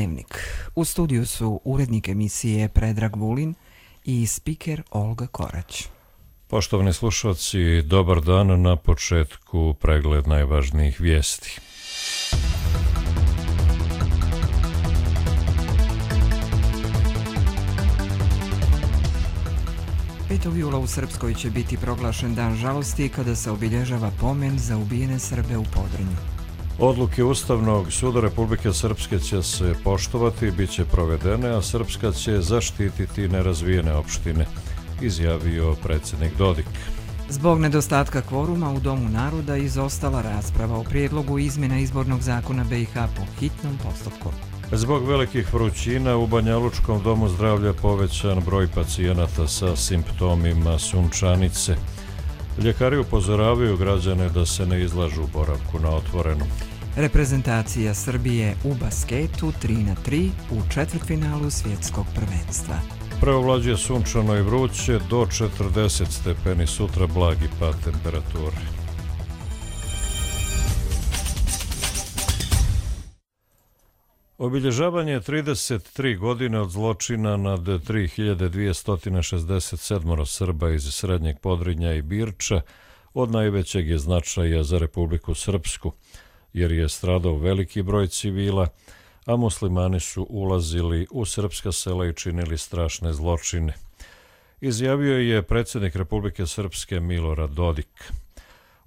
Dnevnik. U studiju su urednik emisije Predrag Vulin i spiker Olga Korać. Poštovani slušalci, dobar dan. Na početku pregled najvažnijih vijesti. Jula u Srpskoj će biti proglašen dan žalosti kada se obilježava pomen za ubijene Srbe u Podrinju. Odluke Ustavnog suda Republike Srpske će se poštovati, bit će provedene, a Srpska će zaštititi nerazvijene opštine, izjavio predsjednik Dodik. Zbog nedostatka kvoruma u Domu naroda izostala rasprava o prijedlogu izmjena izbornog zakona BiH po hitnom postupku. Zbog velikih vrućina u Banjalučkom domu zdravlja povećan broj pacijenata sa simptomima sunčanice. Ljekari upozoravaju građane da se ne izlažu boravku na otvorenom. Reprezentacija Srbije u basketu 3-3 u četvrtfinalu svjetskog prvenstva. Preovlađuje sunčano i vruće, do 40 stepeni, sutra blagi pad temperature. Obilježavanje 33 godine od zločina nad 3267 Srba iz Srednjeg Podrinja i Birča od najvećeg je značaja za Republiku Srpsku, jer je stradao veliki broj civila, a muslimani su ulazili u srpska sela i činili strašne zločine. Izjavio je predsjednik Republike Srpske Milorad Dodik.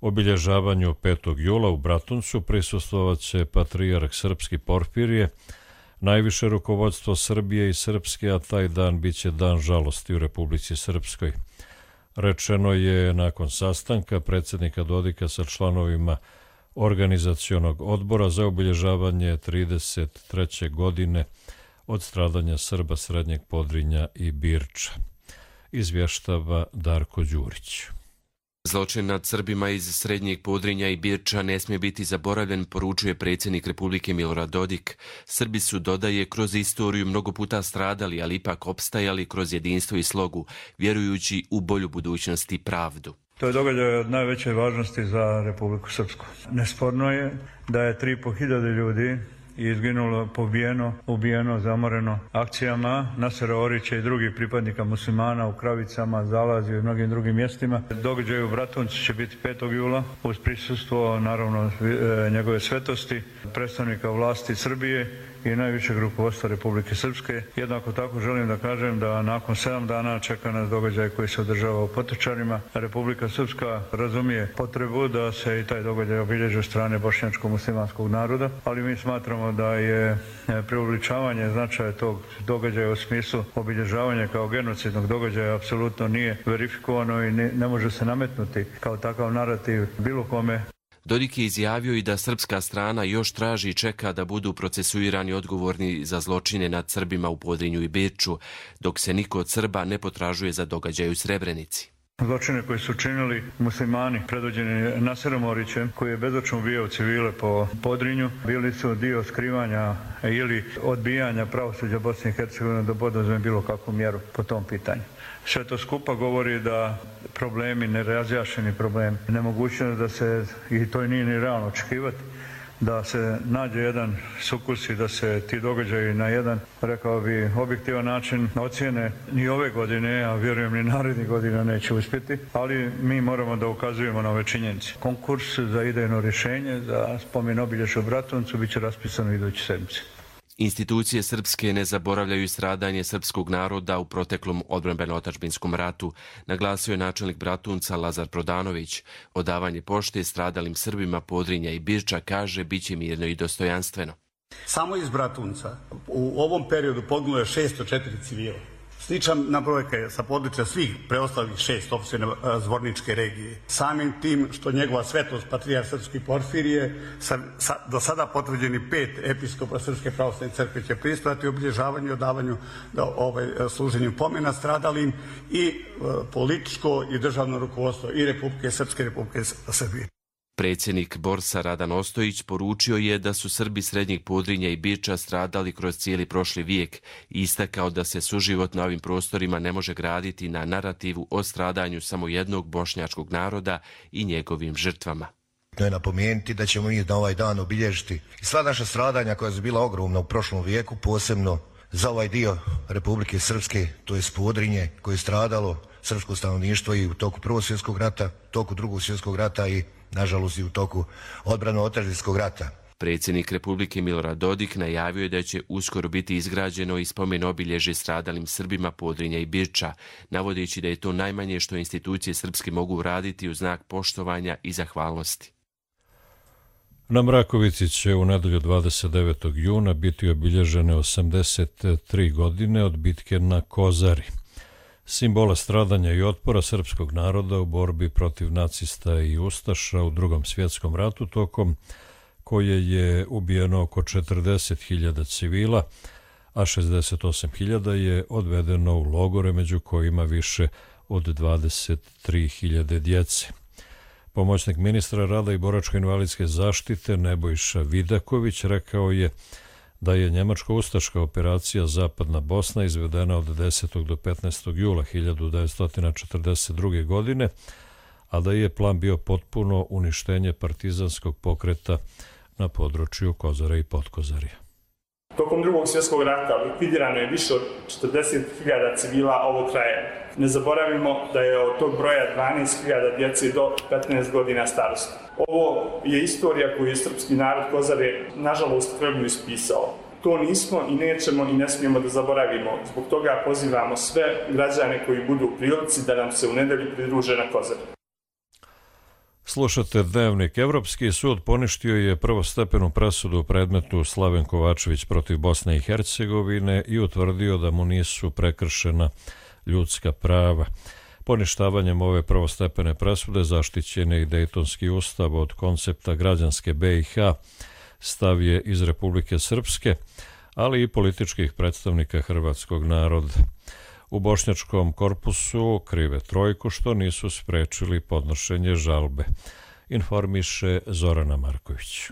Obilježavanju 5. jula u Bratuncu prisustvovaće patrijarh srpski Porfirije, najviše rukovodstvo Srbije i Srpske, a taj dan biće dan žalosti u Republici Srpskoj. Rečeno je nakon sastanka predsjednika Dodika sa članovima organizacionog odbora za obilježavanje 33. godine od stradanja Srba Srednjeg Podrinja i Birča. Izvještava Darko Đurić. Zločin nad Srbima iz Srednjeg Podrinja i Birča ne smije biti zaboravljen, poručuje predsjednik Republike Milorad Dodik. Srbi su, dodaje, kroz istoriju mnogo puta stradali, ali ipak opstajali kroz jedinstvo i slogu, vjerujući u bolju budućnost i pravdu. To je događaj od najveće važnosti za Republiku Srpsku. Nesporno je da je 3.500 ljudi izginulo, ubijeno, zamoreno akcijama Nasera Orića i drugih pripadnika muslimana u Kravicama, Zalaziju i mnogim drugim mjestima. Događaj u Bratuncu će biti 5. jula uz prisustvo, naravno, njegove svetosti, predstavnika vlasti Srbije i najvišeg rukovodstva Republike Srpske. Jednako tako želim da kažem da nakon 7 dana čeka nas događaj koji se održava u Potočarima. Republika Srpska razumije potrebu da se i taj događaj obilježi od strane bošnjačko-muslimanskog naroda, ali mi smatramo da je preuveličavanje značaja tog događaja u smislu obilježavanja kao genocidnog događaja apsolutno nije verifikovano i ne može se nametnuti kao takav narativ bilo kome. Dodik je izjavio i da srpska strana još traži i čeka da budu procesuirani odgovorni za zločine nad Srbima u Podrinju i Birču, dok se niko od Srba ne potražuje za događaj u Srebrenici. Zločine koji su činili muslimani predvođeni Naserom Orićem, koji je bezočno ubijao civile po Podrinju, bili su dio skrivanja ili odbijanja pravosuđa Bosne i Hercegovine da poduzme bilo kakvu mjeru po tom pitanju. Sve to skupa govori da problemi, nerazjašnjeni problemi, nemogućnost da se, i to nije ni realno očekivati, da se nađe jedan sukus i da se ti događaji na jedan, rekao bi, objektivan način ocijene ni ove godine, a vjerujem ni narednih godina neće uspjeti, ali mi moramo da ukazujemo na ove činjenice. Konkurs za idejno rješenje za spomen obilježja u Bratuncu bit će raspisano iduće sedmice. Institucije srpske ne zaboravljaju stradanje srpskog naroda u proteklom odbrambeno-otadžbinskom ratu, naglasio je načelnik Bratunca Lazar Prodanović. Odavanje pošte stradalim Srbima Podrinja i Birča, kaže, bit će mirno i dostojanstveno. Samo iz Bratunca u ovom periodu poginulo je 604 civila. Slična brojka je sa područja svih preostalih 6 opština Zvorničke regije. Samim tim što njegova svetost patrijarh srpski Porfirije do sada potvrđeni 5 episkopa Srpske pravoslavne crkve će prisustvovati obilježavanju i odavanju služenju pomena stradalim i političko i državno rukovodstvo i Republike Srpske i Republike Srbije. Predsjednik Borsa Radan Ostojić poručio je da su Srbi Srednjeg Podrinja i Birča stradali kroz cijeli prošli vijek i istakao da se suživot na ovim prostorima ne može graditi na narativu o stradanju samo jednog bošnjačkog naroda i njegovim žrtvama. To je napomenuti da ćemo mi na ovaj dan obilježiti i sva naša stradanja koja su bila ogromna u prošlom vijeku, posebno za ovaj dio Republike Srpske, to je Podrinje koje je stradalo srpsko stanovništvo i u toku Prvog svjetskog rata, u toku Drugog svjetskog rata i nažalost i u toku odbrano-otadžbinskog rata. Predsjednik Republike Milorad Dodik najavio je da će uskoro biti izgrađeno i spomen obilježje stradalim Srbima Podrinja i Birča, navodeći da je to najmanje što institucije srpske mogu uraditi u znak poštovanja i zahvalnosti. Na Mrakovici će u nedelju 29. juna biti obilježene 83 godine od bitke na Kozari, simbola stradanja i otpora srpskog naroda u borbi protiv nacista i ustaša u Drugom svjetskom ratu, tokom koje je ubijeno oko 40.000 civila, a 68.000 je odvedeno u logore, među kojima više od 23.000 djece. Pomoćnik ministra rada i boračko-invalidske zaštite Nebojša Vidaković rekao je da je njemačko-ustaška operacija Zapadna Bosna izvedena od 10. do 15. jula 1942. godine, a da je plan bio potpuno uništenje partizanskog pokreta na području Kozare i Podkozarja. Tokom Drugog svjetskog rata likvidirano je više od 40.000 civila ovog kraja. Ne zaboravimo da je od tog broja 12.000 djece do 15 godina starosti. Ovo je istorija koju je srpski narod Kozare nažalost krvlju ispisao. To nismo i nećemo i ne smijemo da zaboravimo. Zbog toga pozivamo sve građane koji budu u prilici da nam se u nedelju pridruže na Kozari. Slušate Dnevnik. Evropski sud poništio je prvostepenu presudu u predmetu Slaven Kovačević protiv Bosne i Hercegovine i utvrdio da mu nisu prekršena ljudska prava. Poništavanjem ove prvostepene presude zaštićen je i Dejtonski ustav od koncepta građanske BiH, stav je iz Republike Srpske, ali i političkih predstavnika hrvatskog naroda. U bošnjačkom korpusu krive trojku što nisu sprečili podnošenje žalbe, informiše Zorana Marković.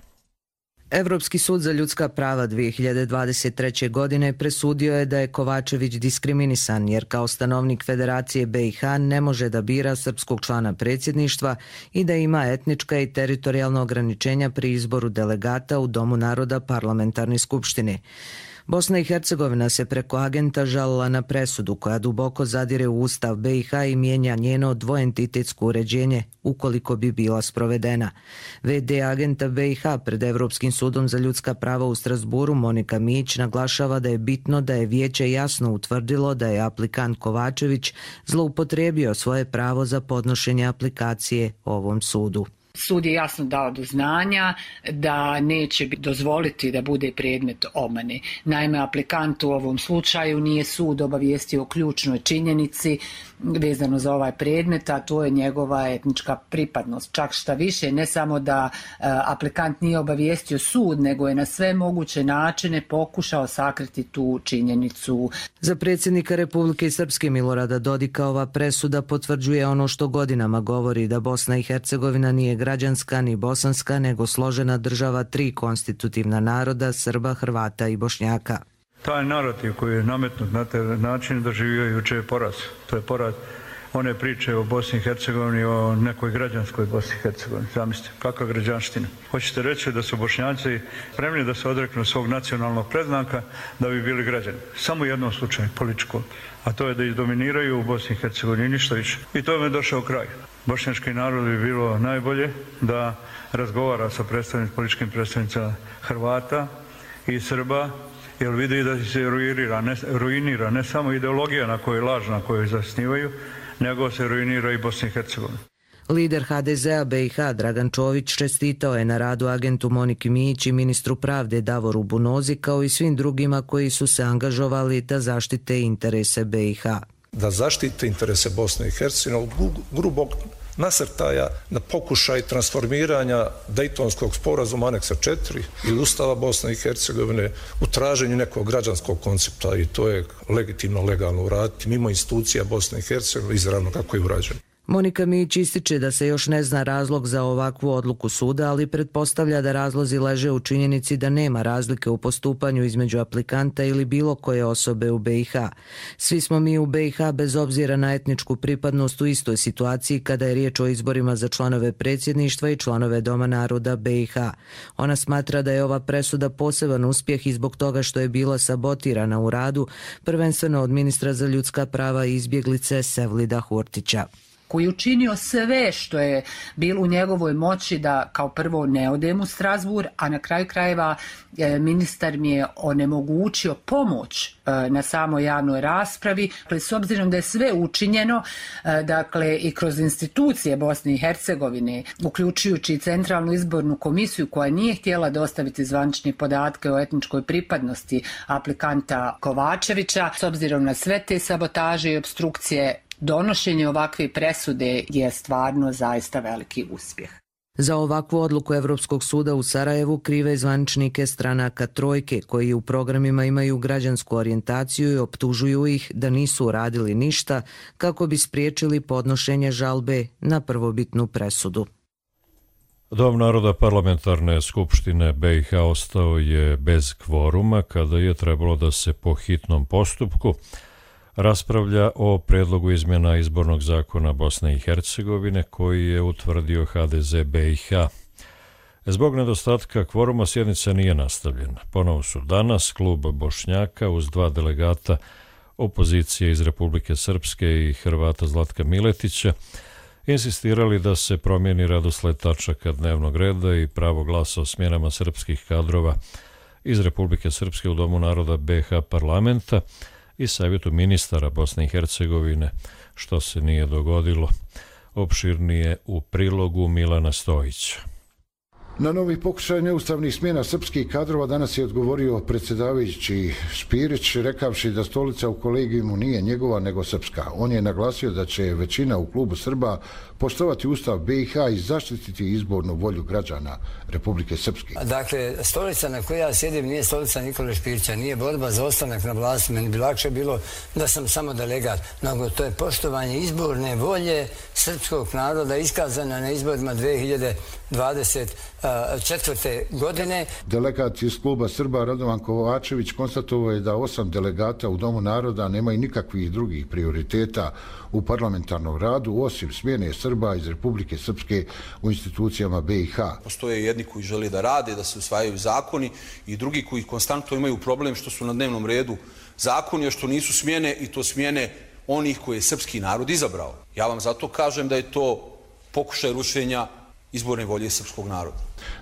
Evropski sud za ljudska prava 2023. godine presudio je da je Kovačević diskriminisan jer kao stanovnik Federacije BiH ne može da bira srpskog člana predsjedništva i da ima etnička i teritorijalna ograničenja pri izboru delegata u Domu naroda Parlamentarne skupštine. Bosna i Hercegovina se preko agenta žalila na presudu koja duboko zadire u Ustav BiH i mijenja njeno dvoentitetsko uređenje ukoliko bi bila sprovedena. VD agenta BiH pred Evropskim sudom za ljudska prava u Strasburu Monika Mijić naglašava da je bitno da je vijeće jasno utvrdilo da je aplikant Kovačević zloupotrijebio svoje pravo za podnošenje aplikacije ovom sudu. Sud je jasno dao do znanja da neće dozvoliti da bude predmet obmane. Naime, aplikant u ovom slučaju nije sud obavijestio o ključnoj činjenici vezano za ovaj predmet, a to je njegova etnička pripadnost. Čak šta više, ne samo da aplikant nije obavijestio sud, nego je na sve moguće načine pokušao sakriti tu činjenicu. Za predsjednika Republike Srpske Milorada Dodika ova presuda potvrđuje ono što godinama govori, da Bosna i Hercegovina nije građanska ni bosanska, nego složena država tri konstitutivna naroda, Srba, Hrvata i Bošnjaka. Taj narativ koji je nametnut na taj način doživio juče je poraz. To je poraz one priče o Bosni i Hercegovini, o nekoj građanskoj Bosni i Hercegovini. Zamislite, kakva građanština. Hoćete reći da su Bošnjaci spremni da se odreknu svog nacionalnog predznaka da bi bili građani. Samo u jednom slučaju, političkom. A to je da izdominiraju u Bosni i Hercegovini, ništa više. I to je došao kraj. Bošnjački narod bi bilo najbolje da razgovara sa političkim predstavnicama Hrvata i Srba, jer vidi da se ruinira ne samo ideologija na kojoj je lažna, koju zasnivaju, nego se ruinira i Bosna i Hercegovina. Lider HDZ-a BiH Dragan Čović čestitao je na radu agentu Moniki Mijić i ministru pravde Davoru Bunozi kao i svim drugima koji su se angažovali da zaštite interese BiH. Da zaštite interese Bosne i Hercegovine od grubog nasrtaja na pokušaj transformiranja Dejtonskog sporazuma aneksa 4 ili Ustava Bosne i Hercegovine u traženju nekog građanskog koncepta, i to je legitimno, legalno uraditi mimo institucija Bosne i Hercegovine, izravno kako je urađeno. Monika Mić ističe da se još ne zna razlog za ovakvu odluku suda, ali pretpostavlja da razlozi leže u činjenici da nema razlike u postupanju između aplikanta ili bilo koje osobe u BiH. Svi smo mi u BiH bez obzira na etničku pripadnost u istoj situaciji kada je riječ o izborima za članove predsjedništva i članove Doma naroda BiH. Ona smatra da je ova presuda poseban uspjeh i zbog toga što je bila sabotirana u radu, prvenstveno od ministra za ljudska prava i izbjeglice Sevlida Hurtića, koji je učinio sve što je bilo u njegovoj moći da kao prvo ne odem u Strasbourg, a na kraju krajeva ministar mi je onemogućio pomoć na samoj javnoj raspravi. Dakle, s obzirom da je sve učinjeno, dakle i kroz institucije Bosne i Hercegovine, uključujući Centralnu izbornu komisiju koja nije htjela dostaviti zvanične podatke o etničkoj pripadnosti aplikanta Kovačevića, s obzirom na sve te sabotaže i opstrukcije, donošenje ovakve presude je stvarno zaista veliki uspjeh. Za ovakvu odluku Evropskog suda u Sarajevu krive zvaničnike stranaka Trojke, koji u programima imaju građansku orijentaciju i optužuju ih da nisu uradili ništa kako bi spriječili podnošenje žalbe na prvobitnu presudu. Dom naroda parlamentarne skupštine BiH ostao je bez kvoruma kada je trebalo da se po hitnom postupku raspravlja o predlogu izmjena izbornog zakona Bosne i Hercegovine koji je utvrdio HDZ BiH. Zbog nedostatka kvoruma sjednica nije nastavljena. Ponovo su danas klub Bošnjaka uz 2 delegata opozicije iz Republike Srpske i Hrvata Zlatka Miletića insistirali da se promijeni radosled tačaka dnevnog reda i pravo glasa o smjenama srpskih kadrova iz Republike Srpske u Domu naroda BiH parlamenta i Savjetu ministara Bosne i Hercegovine, što se nije dogodilo. Opširnije u prilogu Milana Stojića. Na novi pokušaj neustavnih smjena srpskih kadrova danas je odgovorio predsjedavajući Špirić, rekavši da stolica u kolegijumu nije njegova nego srpska. On je naglasio da će većina u klubu Srba poštovati Ustav BiH i zaštititi izbornu volju građana Republike Srpske. Dakle, stolica na kojoj ja sjedim nije stolica Nikole Špirića, nije borba za ostanak na vlasti. Meni bi lakše bilo da sam samo delegat, nego to je poštovanje izborne volje srpskog naroda iskazana na izborima 2024. godine. Delegat iz kluba Srba Radovan Kovačević konstatovao je da 8 delegata u Domu naroda nemaju nikakvih drugih prioriteta u parlamentarnom radu, osim smjene Srba iz Republike Srpske u institucijama BiH. Postoje jedni koji žele da rade, da se usvajaju zakoni i drugi koji konstantno imaju problem što su na dnevnom redu zakoni, a što nisu smjene i to smjene onih koje je srpski narod izabrao. Ja vam zato kažem da je to pokušaj rušenja izborne volje srpskog naroda.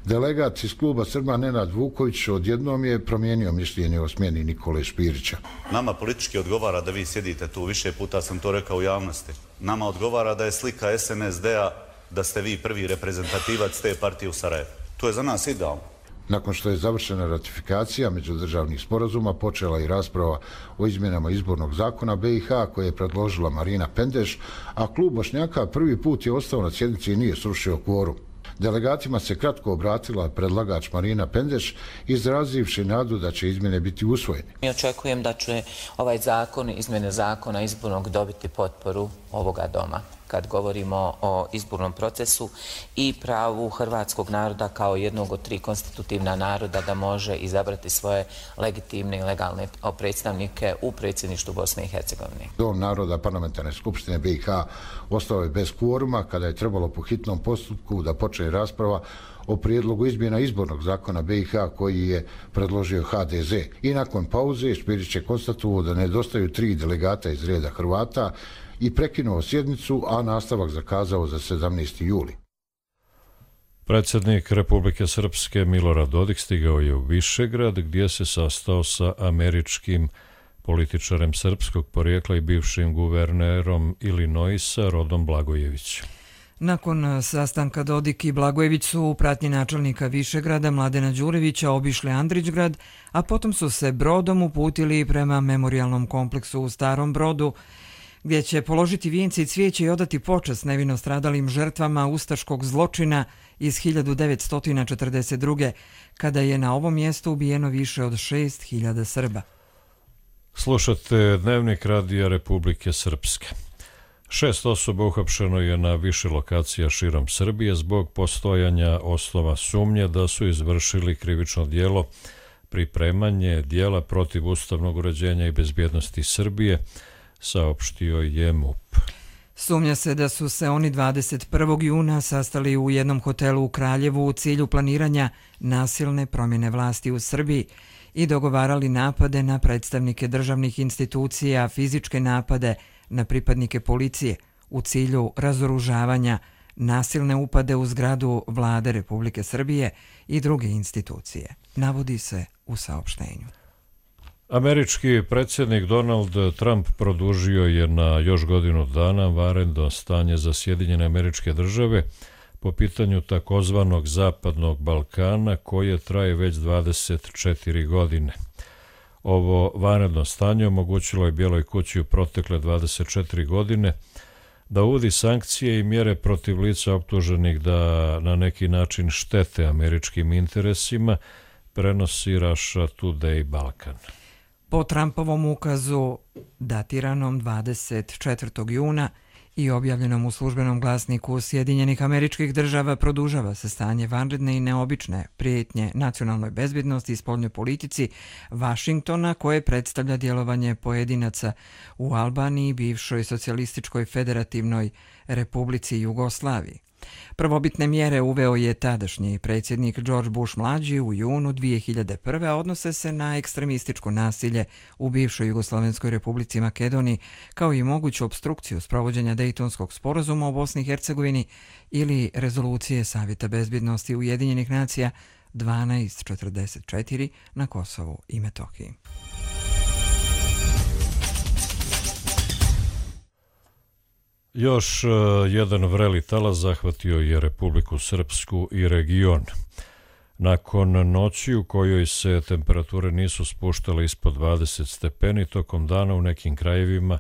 Delegat iz kluba Srba Nenad Vuković odjednom je promijenio mišljenje o smjeni Nikole Špirića. Nama politički odgovara da vi sjedite tu, više puta sam to rekao u javnosti. Nama odgovara da je slika SNSD-a da ste vi prvi reprezentativac te partije u Sarajevu. To je za nas idealno. Nakon što je završena ratifikacija međudržavnih sporazuma, počela i rasprava o izmjenama izbornog zakona BiH koje je predložila Marina Pendeš, a klub Bošnjaka prvi put je ostao na sjednici i nije srušio kvorum. Delegatima se kratko obratila predlagač Marina Pendeš, izrazivši nadu da će izmjene biti usvojene. Mi očekujem da će ovaj zakon, izmjene zakona izbornog dobiti potporu ovoga doma kad govorimo o izbornom procesu i pravu hrvatskog naroda kao jednog od 3 konstitutivna naroda da može izabrati svoje legitimne i legalne predstavnike u predsjedništvu Bosne i Hercegovine. Dom naroda parlamentarne skupštine BiH ostao je bez kvoruma kada je trebalo po hitnom postupku da počne rasprava o prijedlogu izmjena izbornog zakona BiH koji je predložio HDZ. I nakon pauze Špirić je konstatovao da nedostaju 3 delegata iz reda Hrvata i prekinuo sjednicu, a nastavak zakazao za 17. juli. Predsjednik Republike Srpske Milorad Dodik stigao je u Višegrad gdje se sastao sa američkim političarem srpskog porijekla i bivšim guvernerom Illinoisa Rodom Blagojevićem. Nakon sastanka Dodik i Blagojević su u pratnji načelnika Višegrada Mladena Đurevića obišli Andrićgrad, a potom su se brodom uputili prema memorijalnom kompleksu u Starom Brodu, gdje će položiti vijence i cvijeće i odati počast nevino stradalim žrtvama ustaškog zločina iz 1942. kada je na ovom mjestu ubijeno više od 6.000 Srba. Slušate Dnevnik Radija Republike Srpske. 6 osoba uhapšeno je na više lokacija širom Srbije zbog postojanja osnova sumnje da su izvršili krivično djelo pripremanje djela protiv ustavnog uređenja i bezbjednosti Srbije, saopštio je MUP. Sumnja se da su se oni 21. juna sastali u jednom hotelu u Kraljevu u cilju planiranja nasilne promjene vlasti u Srbiji i dogovarali napade na predstavnike državnih institucija, fizičke napade na pripadnike policije u cilju razoružavanja, nasilne upade u zgradu Vlade Republike Srbije i druge institucije, navodi se u saopštenju. Američki predsjednik Donald Trump produžio je na još godinu dana vanredno stanje za Sjedinjene Američke Države po pitanju takozvanog Zapadnog Balkana koje traje već 24 godine. Ovo vanredno stanje omogućilo je Bijeloj kući u protekle 24 godine da uvodi sankcije i mjere protiv lica optuženih da na neki način štete američkim interesima, prenosi Russia Today Balkan. Po Trumpovom ukazu datiranom 24. juna i objavljenom u službenom glasniku Sjedinjenih Američkih Država produžava se stanje vanredne i neobične prijetnje nacionalnoj bezbjednosti i spoljnoj politici Vašingtona koje predstavlja djelovanje pojedinaca u Albaniji, bivšoj socijalističkoj federativnoj Republici Jugoslaviji. Prvobitne mjere uveo je tadašnji predsjednik George Bush mlađi u junu 2001. a odnose se na ekstremističko nasilje u bivšoj Jugoslovenskoj Republici Makedoniji, kao i moguću opstrukciju sprovođenja Dejtonskog sporazuma u Bosni i Hercegovini ili rezolucije Savjeta bezbjednosti Ujedinjenih nacija 1244 na Kosovu i Metohiji. Još jedan vreli talas zahvatio je Republiku Srpsku i region. Nakon noći u kojoj se temperature nisu spuštale ispod 20 stepeni, tokom dana u nekim krajevima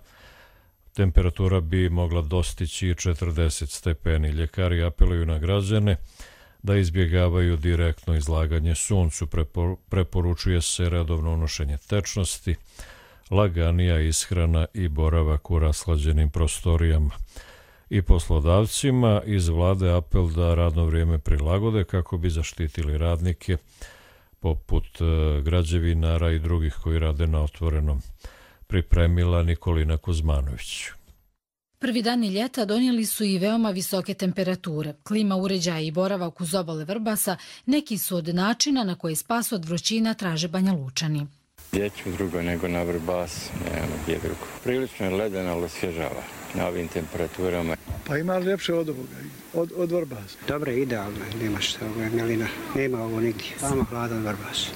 temperatura bi mogla dostići 40 stepeni. Ljekari apeluju na građane da izbjegavaju direktno izlaganje suncu. Preporučuje se redovno unošenje tečnosti, laganija ishrana i boravak u rashlađenim prostorijama. I poslodavcima iz vlade apel da radno vrijeme prilagode kako bi zaštitili radnike poput građevinara i drugih koji rade na otvorenom, pripremila Nikolina Kuzmanović. Prvi dani ljeta donijeli su i veoma visoke temperature. Klima uređaja i boravak uz obale Vrbasa neki su od načina na koje spas od vrućina traže Banjalučani. Gdje ću drugo nego na Vrbas, nema gdje drugo. Prilično je ledeno, ali osvježava na ovim temperaturama. Pa ima ljepše od ovoga, od Vrbasa. Dobro, idealno, nema što, ovo je milina, nema ovo nigdje, samo hladan Vrbas.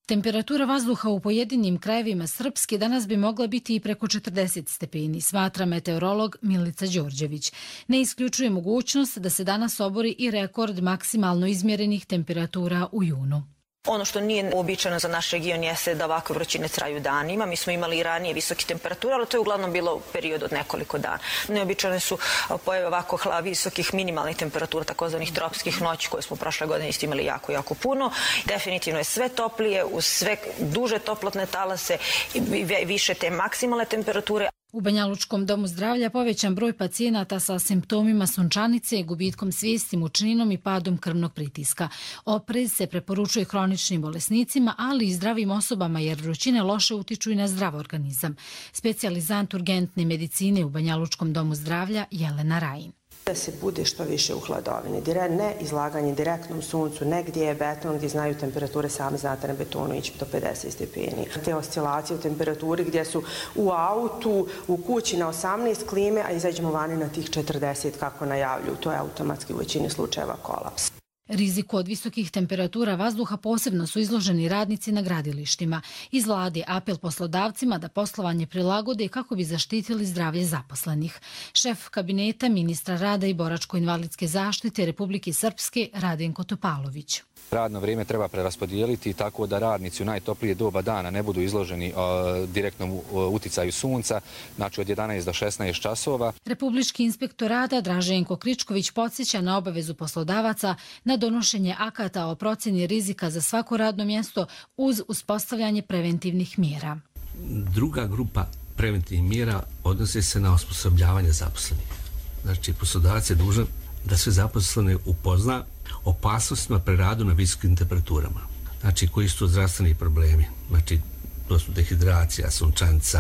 Temperatura vazduha u pojedinim krajevima Srpske danas bi mogla biti i preko 40 stepeni, smatra meteorolog Milica Đorđević. Ne isključuje mogućnost da se danas obori i rekord maksimalno izmjerenih temperatura u junu. Ono što nije uobičajeno za naš region jeste da ovakve vrućine traju danima. Mi smo imali i ranije visoke temperature, ali to je uglavnom bilo u periodu od nekoliko dana. Neobičajne su pojave ovako visokih minimalnih temperatura, takozvanih tropskih noći koje smo prošle godine isto imali jako puno. Definitivno je sve toplije, uz sve duže toplotne talase i više te maksimalne temperature. U Banjalučkom domu zdravlja povećan broj pacijenata sa simptomima sunčanice, gubitkom svijesti, mučninom i padom krvnog pritiska. Oprez se preporučuje hroničnim bolesnicima, ali i zdravim osobama jer vrućine loše utiču i na zdrav organizam. Specijalizant urgentne medicine u Banjalučkom domu zdravlja Jelena Rajin. Da se bude što više u hladovini, ne izlaganje direktnom suncu, ne gdje je beton, gdje znaju temperature, sami znate na betonu ići do 50 stepeni. Te oscilacije u temperaturi gdje su u autu, u kući na 18 klime, a izađemo vani na tih 40 kako najavljuju, to je automatski u većini slučajeva kolaps. Riziku od visokih temperatura vazduha posebno su izloženi radnici na gradilištima. Iz vlade apel poslodavcima da poslovanje prilagode kako bi zaštitili zdravlje zaposlenih. Šef kabineta ministra rada i boračko-invalidske zaštite Republike Srpske Radenko Topalović. Radno vrijeme treba preraspodijeliti tako da radnici u najtoplije doba dana ne budu izloženi direktnom uticaju sunca, znači od 11 do 16 časova. Republički inspektor rada Draženko Kričković podsjeća na obavezu poslodavaca na donošenje akata o procjeni rizika za svako radno mjesto uz uspostavljanje preventivnih mjera. Druga grupa preventivnih mjera odnose se na osposobljavanje zaposlenih. Znači, poslodavac je dužan da sve zaposlene upozna opasnostima pri radu na visokim temperaturama. Znači, koji su to zdravstveni problemi? Znači, to su dehidracija, sunčanica,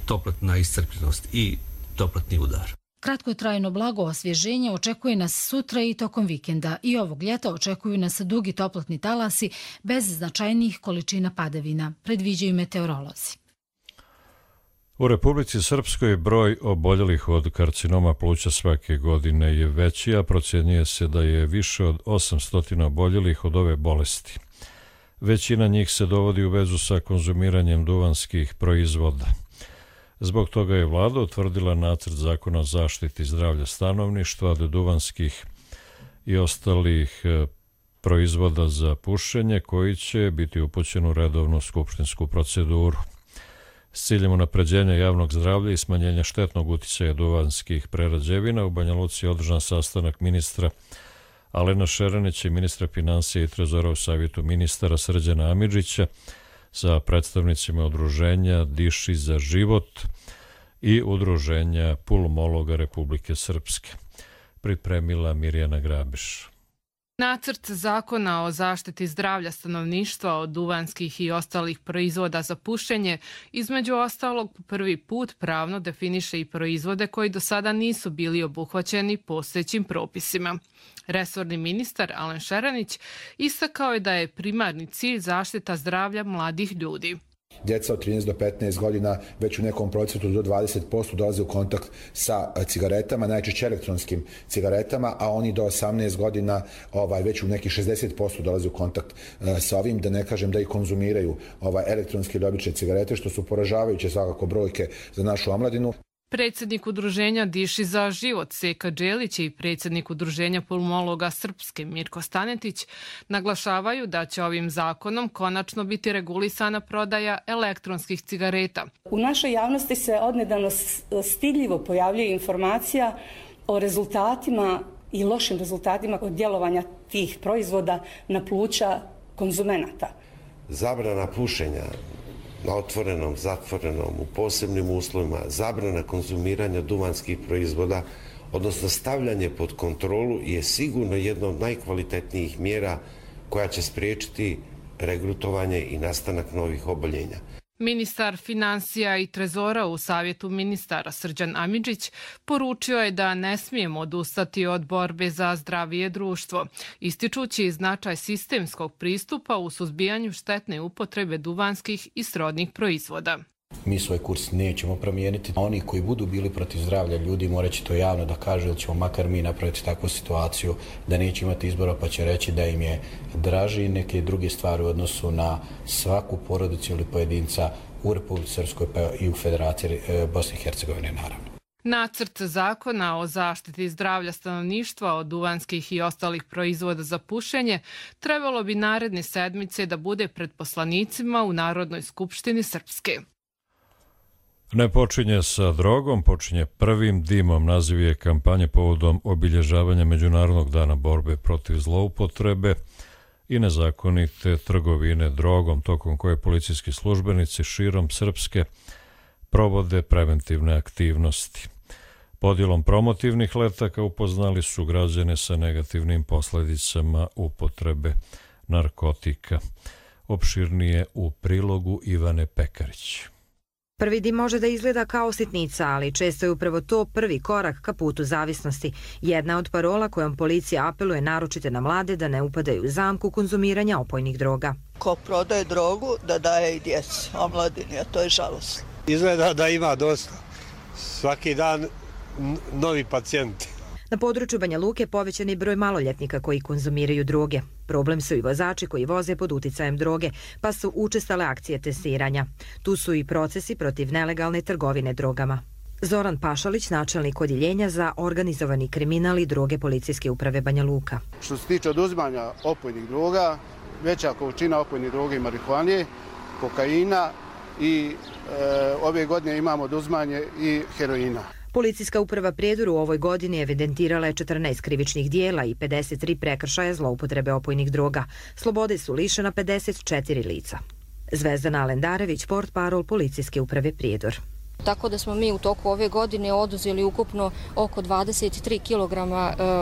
toplotna iscrpljenost i toplotni udar. Kratkotrajno blago osvježenje očekuje nas sutra i tokom vikenda i ovog ljeta očekuju nas dugi toplotni talasi bez značajnijih količina padavina, predviđaju meteorolozi. U Republici Srpskoj broj oboljelih od karcinoma pluća svake godine je veći, a procjenjuje se da je više od 800 oboljelih od ove bolesti. Većina njih se dovodi u vezu sa konzumiranjem duvanskih proizvoda. Zbog toga je vlada utvrdila nacrt zakona o zaštiti zdravlja stanovništva od duvanskih i ostalih proizvoda za pušenje koji će biti upućen u redovnu skupštinsku proceduru. S ciljem unapređenja javnog zdravlja i smanjenja štetnog uticaja duvanskih prerađevina u Banja Luci je održan sastanak ministra Alena Šeranića i ministra finansija i trezora u savjetu ministara Srđana Amidžića sa predstavnicima udruženja Diši za život i udruženja pulmologa Republike Srpske. Pripremila Mirjana Grabiš. Nacrt zakona o zaštiti zdravlja stanovništva od duvanskih i ostalih proizvoda za pušenje između ostalog prvi put pravno definiše i proizvode koji do sada nisu bili obuhvaćeni postojećim propisima. Resorni ministar Alen Šeranić istakao je da je primarni cilj zaštita zdravlja mladih ljudi. Djeca od 13 do 15 godina već u nekom procentu do 20% dolaze u kontakt sa cigaretama, najčešće elektronskim cigaretama, a oni do 18 godina već u nekih 60% dolaze u kontakt sa ovim, da ne kažem da i konzumiraju elektronske ili obične cigarete, što su poražavajuće svakako brojke za našu omladinu. Predsjednik udruženja Diši za život Seka Đelić i predsjednik udruženja pulmologa Srpske Mirko Stanetić naglašavaju da će ovim zakonom konačno biti regulisana prodaja elektronskih cigareta. U našoj javnosti se odnedavno stidljivo pojavljuje informacija o rezultatima i lošim rezultatima od djelovanja tih proizvoda na pluća konzumenata. Zabrana pušenja na otvorenom, zatvorenom, u posebnim uslovima, zabrana konzumiranja duvanskih proizvoda, odnosno stavljanje pod kontrolu je sigurno jedna od najkvalitetnijih mjera koja će spriječiti regrutovanje i nastanak novih oboljenja. Ministar finansija i trezora u savjetu ministara Srđan Amidžić poručio je da ne smijemo odustati od borbe za zdravije društvo, ističući značaj sistemskog pristupa u suzbijanju štetne upotrebe duvanskih i srodnih proizvoda. Mi svoj kurs nećemo promijeniti. Oni koji budu bili protiv zdravlja ljudi morat će to javno da kažu da ćemo makar mi napraviti takvu situaciju da neće imati izbora pa će reći da im je draži neke druge stvari u odnosu na svaku porodicu ili pojedinca u Republici Srpskoj pa i u Federaciji Bosne i Hercegovine naravno. Nacrt zakona o zaštiti zdravlja stanovništva od duvanskih i ostalih proizvoda za pušenje trebalo bi naredne sedmice da bude pred poslanicima u Narodnoj skupštini Srpske. Ne počinje sa drogom, počinje prvim dimom. Naziv je kampanje povodom obilježavanja Međunarodnog dana borbe protiv zloupotrebe i nezakonite trgovine drogom, tokom koje policijski službenici širom Srpske provode preventivne aktivnosti. Podjelom promotivnih letaka upoznali su građane sa negativnim posljedicama upotrebe narkotika. Opširnije u prilogu Ivane Pekarić. Prvi dim može da izgleda kao sitnica, ali često je upravo to prvi korak ka putu zavisnosti. Jedna od parola kojom policija apeluje naročite na mlade da ne upadaju u zamku konzumiranja opojnih droga. Ko prodaje drogu, da daje i djeci, omladini, a to je žalosno. Izgleda da ima dosta. Svaki dan novi pacijenti. Na području Banja Luke povećan je broj maloljetnika koji konzumiraju droge. Problem su i vozači koji voze pod uticajem droge, pa su učestale akcije testiranja. Tu su i procesi protiv nelegalne trgovine drogama. Zoran Pašalić, načelnik odjeljenja za organizovani kriminal i droge Policijske uprave Banja Luka. Što se tiče oduzimanja opojnih droga, veća količina opojnih droga i marihuane, kokaina i ove godine imamo oduzimanje i heroina. Policijska uprava Prijedor u ovoj godini evidentirala je 14 krivičnih dijela i 53 prekršaja zloupotrebe opojnih droga. Slobode su lišena 54 lica. Zvezdana Alendarević, portparol Policijske uprave Prijedor. Tako da smo mi u toku ove godine oduzeli ukupno oko 23 kg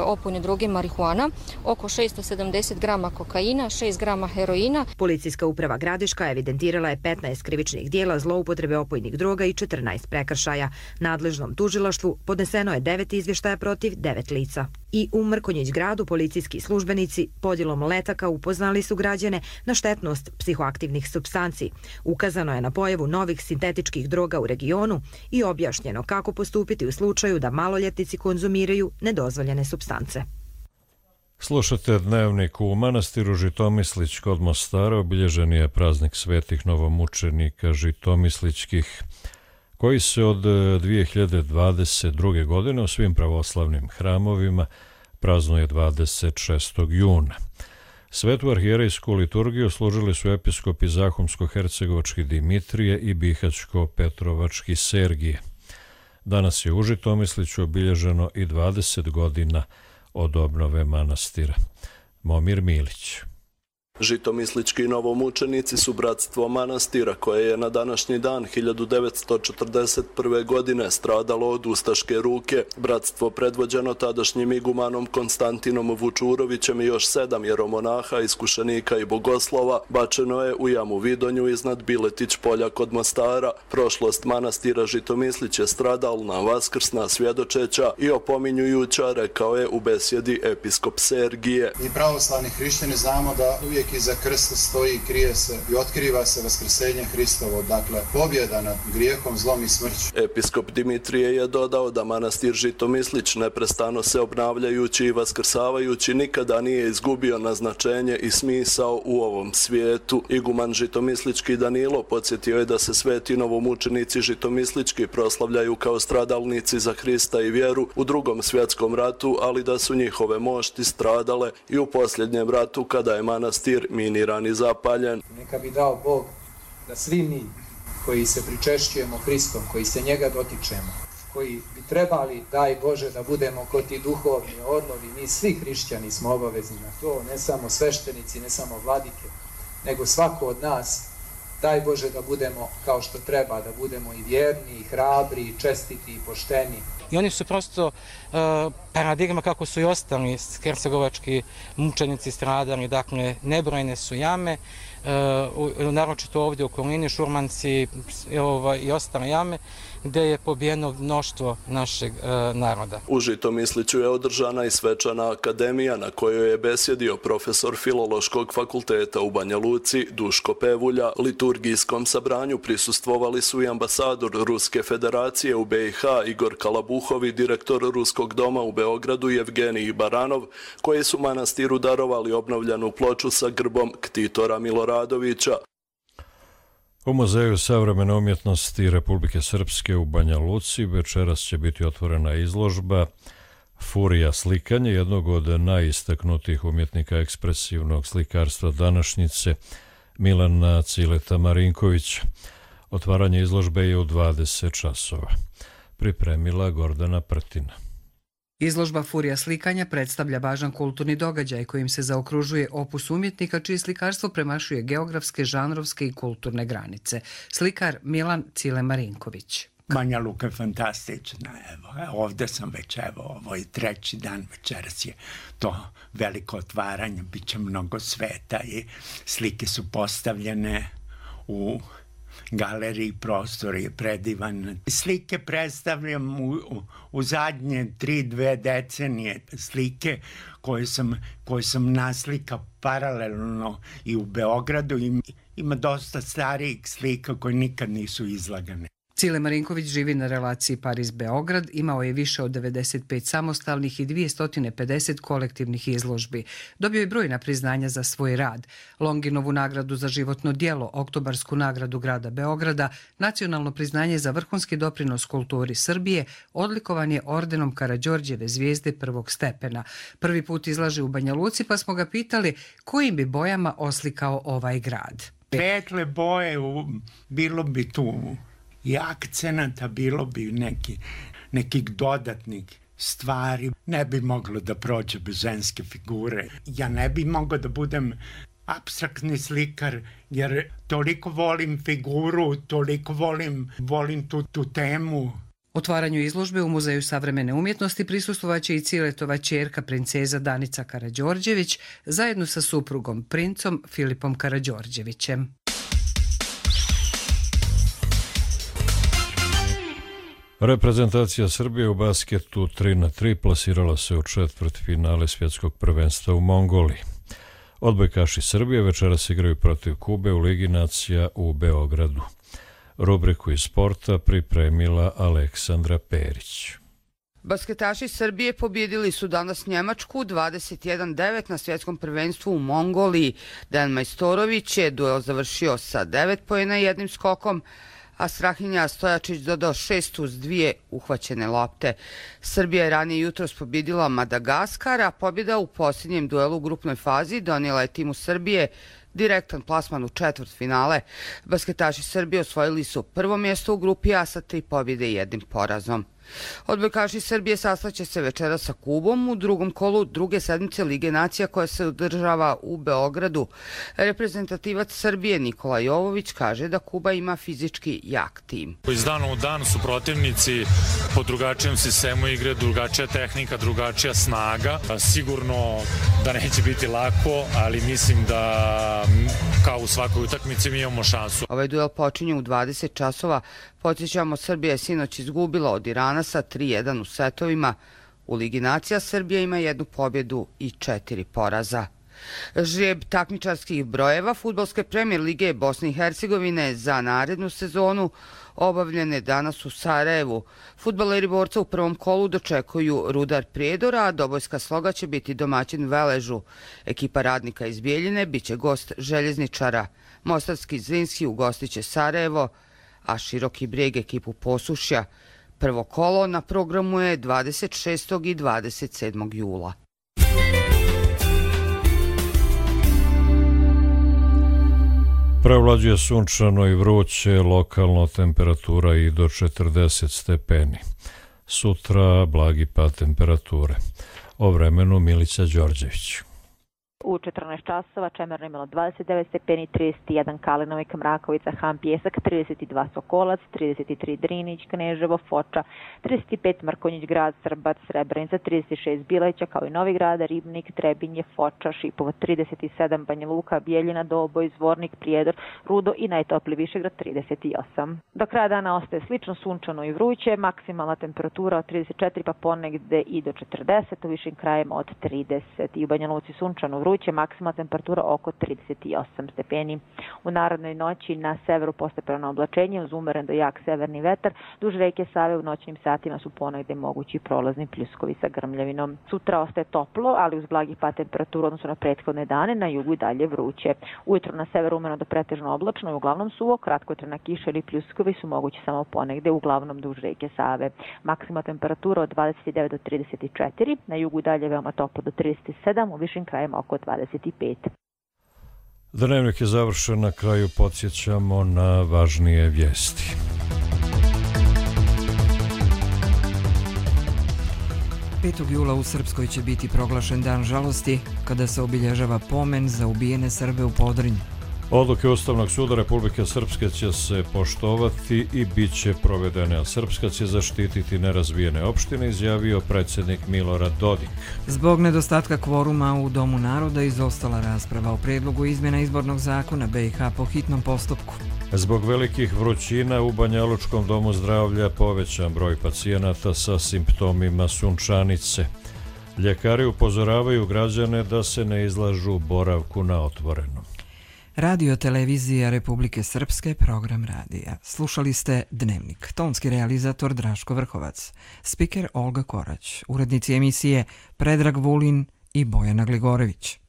opojne droge marihuana, oko 670 grama kokaina, 6 grama heroina. Policijska uprava Gradiška evidentirala je 15 krivičnih dijela zloupotrebe opojnih droga i 14 prekršaja. Nadležnom tužilaštvu podneseno je 9 izvještaja protiv 9 lica. I u Mrkonjić gradu policijski službenici podjelom letaka upoznali su građane na štetnost psihoaktivnih supstanci. Ukazano je na pojavu novih sintetičkih droga u regionu i objašnjeno kako postupiti u slučaju da maloljetnici konzumiraju nedozvoljene supstance. Slušate Dnevnik. U manastiru Žitomislić kod Mostara obilježen je praznik svetih novomučenika žitomislićkih, koji se od 2022. godine u svim pravoslavnim hramovima praznuje 26. juna. Svetu arhijerejsku liturgiju služili su episkopi Zahumsko-hercegovački Dimitrije i Bihaćko-petrovački Sergije. Danas je u Žitomisliću obilježeno i 20 godina od obnove manastira. Momir Milić. Žitomislički novomučenici su bratstvo manastira koje je na današnji dan 1941. godine stradalo od ustaške ruke. Bratstvo predvođeno tadašnjim igumanom Konstantinom Vučurovićem i još 7 jeromonaha, iskušenika i bogoslova bačeno je u jamu Vidonju iznad Biletić polja kod Mostara. Prošlost manastira Žitomislić je stradalna, vaskrsna, svjedočeća i opominjujuća, rekao je u besjedi episkop Sergije. Mi pravoslavni hrišćani znamo da uvijek iza krsta stoji, krije se i otkriva se vaskrsenje Hristovo, dakle pobjeda nad grijehom, zlom i smrću. Episkop Dimitrije je dodao da manastir Žitomislić neprestano se obnavljajući i vaskrsavajući nikada nije izgubio na značenje i smisao u ovom svijetu. Iguman Žitomislički Danilo podsjetio je da se sveti novomučenici Žitomislički proslavljaju kao stradalnici za Hrista i vjeru u Drugom svjetskom ratu, ali da su njihove mošti stradale i u posljednjem ratu kada je manastir miniran i zapaljen. Neka bi dao Bog da svi mi koji se pričešćujemo Hristom, koji se njega dotičemo, koji bi trebali, daj Bože, da budemo kod ti duhovni orlovi, mi svi hrišćani smo obavezni na to, ne samo sveštenici, ne samo vladike, nego svako od nas, daj Bože da budemo kao što treba, da budemo i vjerni, i hrabri, i čestiti, i pošteni. I oni su prosto paradigma kako su i ostali hercegovački mučenici stradali, dakle nebrojne su jame, naročito ovdje u okolini, Šurmanci i ostale jame, gdje je pobijeno mnoštvo našeg naroda. U Žitomisliću je održana i svečana akademija na kojoj je besjedio profesor Filološkog fakulteta u Banja Luci Duško Pevulja. Liturgijskom sabranju prisustvovali su i ambasador Ruske federacije u BiH Igor Kalabuhov i direktor Ruskog doma u Beogradu Evgenij Baranov, koji su manastiru darovali obnovljenu ploču sa grbom Ktitora Miloradovića. U Muzeju savremene umjetnosti Republike Srpske u Banja Luci večeras će biti otvorena izložba Furija slikanje, jednog od najistaknutijih umjetnika ekspresivnog slikarstva današnjice, Milana Cileta Marinkovića. Otvaranje izložbe je u 20 časova. Pripremila Gordana Prtina. Izložba Furija slikanja predstavlja važan kulturni događaj kojim se zaokružuje opus umjetnika čije slikarstvo premašuje geografske, žanrovske i kulturne granice. Slikar Milan Cile Marinković. Banja Luka je fantastična, ovdje sam već, ovo je 3. dan, večeras je to veliko otvaranje, bit će mnogo sveta i slike su postavljene u galeriji, prostor je predivan. Slike predstavljam u zadnje 3-2 decenije, slike koje sam naslikao paralelno i u Beogradu. Ima dosta starijih slika koje nikad nisu izlagane. Cile Marinković živi na relaciji Pariz-Beograd, imao je više od 95 samostalnih i 250 kolektivnih izložbi. Dobio je brojna priznanja za svoj rad. Longinovu nagradu za životno djelo, Oktobarsku nagradu grada Beograda, nacionalno priznanje za vrhunski doprinos kulturi Srbije, odlikovan je ordenom Karađorđeve zvijezde prvog stepena. Prvi put izlaže u Banja Luci, pa smo ga pitali kojim bi bojama oslikao ovaj grad. Petle boje, bilo bi tu i akcenata, bilo bi nekih dodatnih stvari. Ne bi moglo da prođe bez ženske figure. Ja ne bi mogao da budem apstraktni slikar, jer toliko volim figuru, toliko volim tu temu. Otvaranju izložbe u Muzeju savremene umjetnosti prisustvovaće i Ciletova ćerka princeza Danica Karađorđević zajedno sa suprugom princom Filipom Karađorđevićem. Reprezentacija Srbije u basketu 3-3 plasirala se u četvrtfinale svjetskog prvenstva u Mongoliji. Odbojkaši Srbije večeras igraju protiv Kube u Ligi nacija u Beogradu. Rubriku iz sporta pripremila Aleksandra Perić. Basketaši Srbije pobjedili su danas Njemačku 21-9 na svjetskom prvenstvu u Mongoliji. Dejan Majstorović je duel završio sa 9 poena i jednim skokom, a Strahinja Stojačić dodao 6 uz 2 uhvaćene lopte. Srbija je ranije jutros pobjedila Madagaskar, a pobjeda u posljednjem duelu u grupnoj fazi donijela je timu Srbije direktan plasman u četvrtfinale. Basketaši Srbije osvojili su prvo mjesto u grupi A sa 3 pobjede i 1 porazom. Odbojkaši Srbije sastaće se večera sa Kubom u drugom kolu druge sedmice Lige nacija koja se održava u Beogradu. Reprezentativac Srbije Nikola Jovović kaže da Kuba ima fizički jak tim. Iz dana u dan su protivnici po drugačijem sistemu igre, drugačija tehnika, drugačija snaga. Sigurno da neće biti lako, ali mislim da kao u svakoj utakmici mi imamo šansu. Ovaj duel počinje u 20 časova. Podsjećamo, Srbija je sinoć izgubila od Irana sa 3-1 u setovima. U Ligi nacija Srbija ima 1 pobjedu i 4 poraza. Žreb takmičarskih brojeva Fudbalske premijer lige Bosne i Hercegovine za narednu sezonu obavljene danas u Sarajevu. Fudbaleri Borca u prvom kolu dočekuju Rudar Prijedora, a Dobojska Sloga će biti domaćin Veležu. Ekipa Radnika iz Bijeljine biće gost Željezničara. Mostarski Zrinski ugostiće Sarajevo, a Široki Brijeg ekipu Posušja. Prvo kolo na programu je 26. i 27. jula. Prevlađuje sunčano i vruće, lokalno temperatura i do 40 stepeni. Sutra blagi pad temperature. O vremenu Milica Đorđević. U 14 časova Čemerno imalo 29 stepeni, 31 Kalinovik, Mrakovica, Han, Pjesak, 32 Sokolac, 33 Drinić, Kneževo, Foča, 35 Mrkonjić Grad, Srbac, Srebrenica, 36 Bileća, kao i Novi Grad, Ribnik, Trebinje, Foča, Šipovo, 37 Banja Luka, Bijeljina, Doboj, Zvornik, Prijedor, Rudo i najtopliji Višegrad 38. Do kraja dana ostaje slično sunčano i vruće, maksimalna temperatura od 34 pa ponegde i do 40, u višim krajima od 30 i u Banja Luci sunčano vruće, maksimalna temperatura oko 38 stepeni. U narodnoj noći na severu postepeno oblačenje uz umeren do jak severni vetar, duž reke Save u noćnim satima su ponegde mogući prolazni pljuskovi sa grmljavinom. Sutra ostaje toplo, ali uz blagi pad temperatura odnosno na prethodne dane, na jugu i dalje vruće. Ujutro na severu umjereno do pretežno oblačno i uglavnom suvo, kratkotrajna kiša ili pljuskovi su mogući samo ponegde, uglavnom duž reke Save. Maksimalna temperatura od 29 do 34, na jugu i dalje veoma toplo do 37, u višim krajima oko 25. Dnevnik je završen, na kraju podsjećamo na važnije vijesti. Jula u Srpskoj će biti proglašen dan žalosti kada se obilježava pomen za ubijene Srbe u Podrinju. Odluke Ustavnog suda Republike Srpske će se poštovati i bit će provedene, a Srpska će zaštititi nerazvijene opštine, izjavio predsjednik Milorad Dodik. Zbog nedostatka kvoruma u Domu naroda izostala rasprava o predlogu izmjena izbornog zakona BiH po hitnom postupku. Zbog velikih vrućina u Banjalučkom domu zdravlja povećan broj pacijenata sa simptomima sunčanice. Ljekari upozoravaju građane da se ne izlažu boravku na otvorenom. Radio televizija Republike Srpske, program radija. Slušali ste Dnevnik. Tonski realizator Draško Vrhovac. Spiker Olga Korać. Urednici emisije Predrag Vulin i Bojana Gligorević.